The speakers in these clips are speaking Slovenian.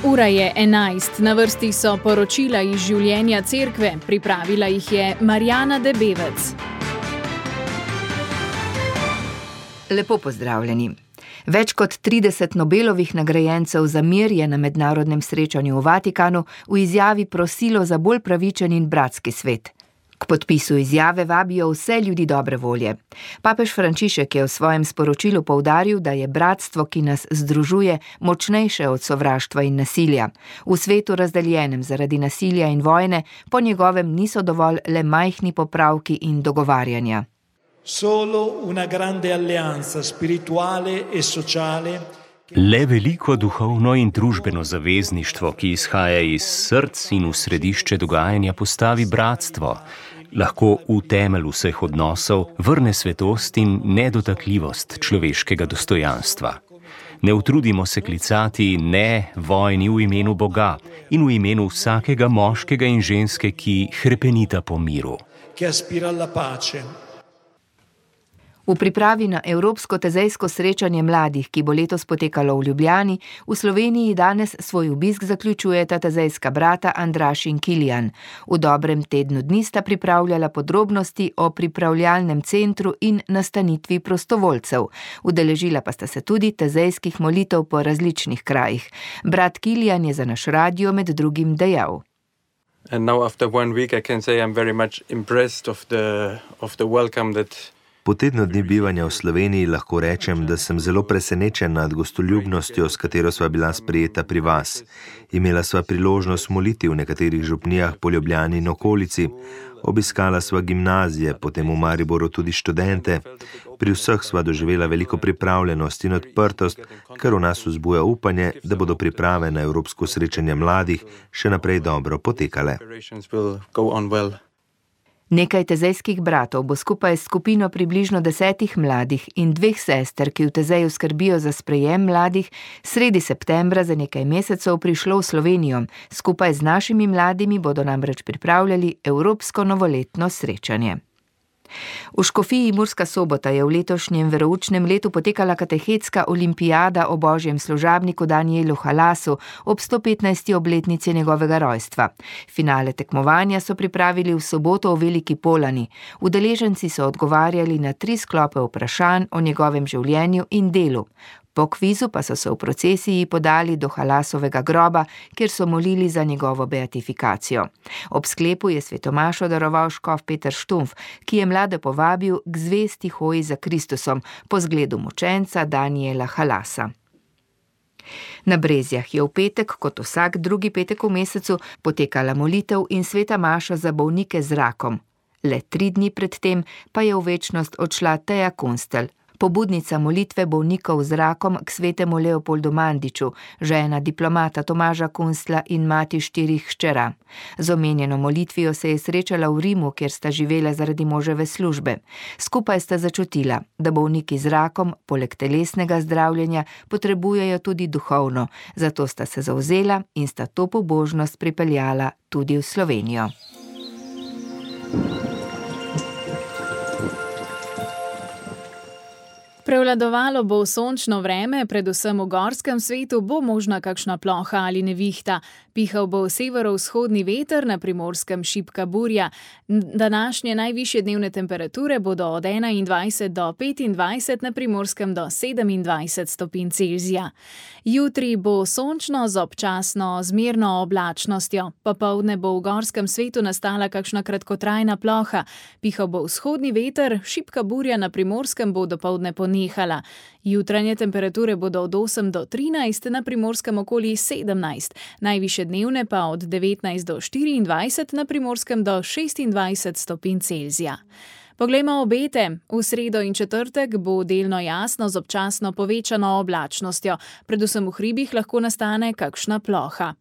Ura je 11, na vrsti so poročila iz življenja cerkve, pripravila jih je Marjana Debevec. Lepo pozdravljeni. Več kot 30 Nobelovih nagrajencev za mir je na mednarodnem srečanju v Vatikanu v izjavi prosilo za bolj pravičen in bratski svet. K podpisu izjave vabijo vse ljudi dobre volje. Papež Frančišek je v svojem sporočilu poudaril, da je bratstvo, ki nas združuje, močnejše od sovraštva in nasilja. V svetu razdeljenem zaradi nasilja in vojne po njegovem niso dovolj le majhni popravki in dogovarjanja. Solo una grande alleanza spirituale e sociale. Le veliko duhovno in družbeno zavezništvo, ki izhaja iz src in v središče dogajanja postavi bratstvo, lahko v temelj vseh odnosov vrne svetost in nedotakljivost človeškega dostojanstva. Ne utrudimo se klicati ne vojni v imenu Boga in v imenu vsakega moškega in ženske, ki hrepenita po miru. Che aspira alla pace. V pripravi na Evropsko tezejsko srečanje mladih, ki bo letos potekalo v Ljubljani, v Sloveniji danes svoj obisk zaključujeta tezejska brata Andraž in Kilijan. V dobrem tednu dni sta pripravljala podrobnosti o pripravljalnem centru in nastanitvi prostovoljcev. Udeležila pa sta se tudi tezejskih molitev po različnih krajih. Brat Kilijan je za naš radio med drugim dejal. And now after 1 week I can say I'm very much impressed of the welcome that Po tednu dni bivanja v Sloveniji lahko rečem, da sem zelo presenečen nad gostoljubnostjo, s katero sva bila sprejeta pri vas. Imela sva priložnost moliti v nekaterih župnijah po Ljubljani in okolici, obiskala sva gimnazije, potem v Mariboru tudi študente. Pri vseh sva doživela veliko pripravljenost in odprtost, kar v nas vzbuja upanje, da bodo priprave na Evropsko srečanje mladih še naprej dobro potekale. Nekaj tezejskih bratov bo skupaj s skupino približno 10 mladih in 2 sester, ki v Tezeju skrbijo za sprejem mladih, sredi septembra za nekaj mesecev prišlo v Slovenijo. Skupaj z našimi mladimi bodo namreč pripravljali Evropsko novoletno srečanje. V Škofiji Murska Sobota je v letošnjem veroučnem letu potekala katehetska olimpijada o božjem služabniku Danijelu Halasu ob 115. obletnici njegovega rojstva. Finale tekmovanja so pripravili v soboto v Veliki Polani. Udeleženci so odgovarjali na 3 sklope vprašanj o njegovem življenju in delu. Po kvizu pa so se v procesiji podali do Halasovega groba, kjer so molili za njegovo beatifikacijo. Ob sklepu je svetomašo daroval škof Peter Štumf, ki je mlade povabil k zvesti hoji za Kristusom po zgledu mučenca Danijela Halasa. Na Brezjah je v petek, kot vsak drugi petek v mesecu, potekala molitev in sveta maša za bolnike z rakom. Le 3 dni pred tem pa je v večnost odšla Teja Kunstelj, pobudnica molitve bolnikov z rakom k svetemu Leopoldu Mandiču, žena diplomata Tomaža Kunstla in mati 4 hčera. Z omenjeno molitvijo se je srečala v Rimu, kjer sta živela zaradi moževe službe. Skupaj sta začutila, da bolniki z rakom, poleg telesnega zdravljenja, potrebujejo tudi duhovno, zato sta se zavzela in sta to pobožnost pripeljala tudi v Slovenijo. Prevladovalo bo sončno vreme, predvsem v gorskem svetu bo možna kakšna ploha ali nevihta. Pihal bo severovzhodni veter, na Primorskem šibka burja. Današnje najvišje dnevne temperature bodo od 21 do 25, na Primorskem do 27 stopinj Celzija. Jutri bo sončno z občasno zmerno oblačnostjo. Popoldne bo v gorskem svetu nastala kakšna kratkotrajna ploha. Pihal bo vzhodni veter, šibka burja na Primorskem bo dopoldne ponehala. Jutranje temperature bodo od 8 do 13, na Primorskem okoli 17, najvišje dnevne pa od 19 do 24, na Primorskem do 26 stopinj Celzija. Poglejmo obete. V sredo in četrtek bo delno jasno z občasno povečano oblačnostjo. Predvsem v hribih lahko nastane kakšna ploha.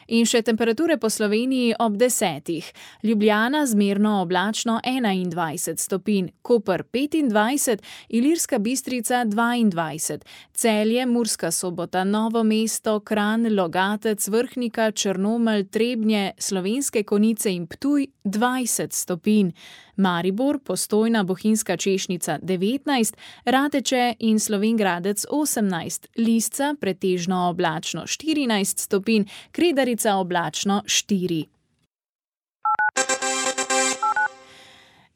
In še temperature po Sloveniji ob 10. Ljubljana zmerno oblačno 21 stopinj, Koper 25, Ilirska Bistrica 22, Celje, Murska Sobota, Novo mesto, Kranj, Logatec, Vrhnika, Črnomelj, Trebnje, Slovenske Konjice in Ptuj 20 stopinj. Maribor, Postojna, Bohinjska Češnica 19, Rateče in Slovenj Gradec 18, Lisca pretežno oblačno 14 stopinj, Kredarica oblačno 4.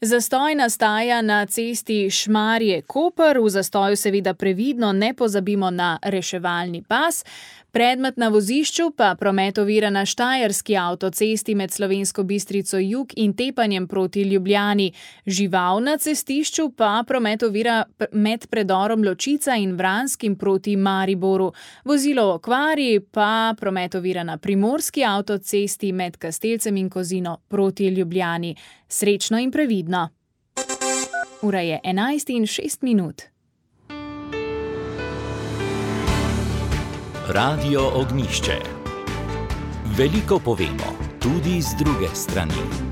Zastoj nastaja na cesti Šmarje-Koper, v zastoju seveda previdno ne pozabimo na reševalni pas. Predmet na vozišču pa promet ovira na štajerski avtocesti med Slovensko Bistrico jug in Tepanjem proti Ljubljani. Žival na cestišču pa promet ovira med predorom Ločica in Vranskim proti Mariboru. Vozilo v okvari pa promet ovira na primorski avtocesti med Kastelcem in Kozino proti Ljubljani. Srečno in previdno. Ura je 11:06. Radio Ognjišče. Veliko povemo, tudi z druge strani.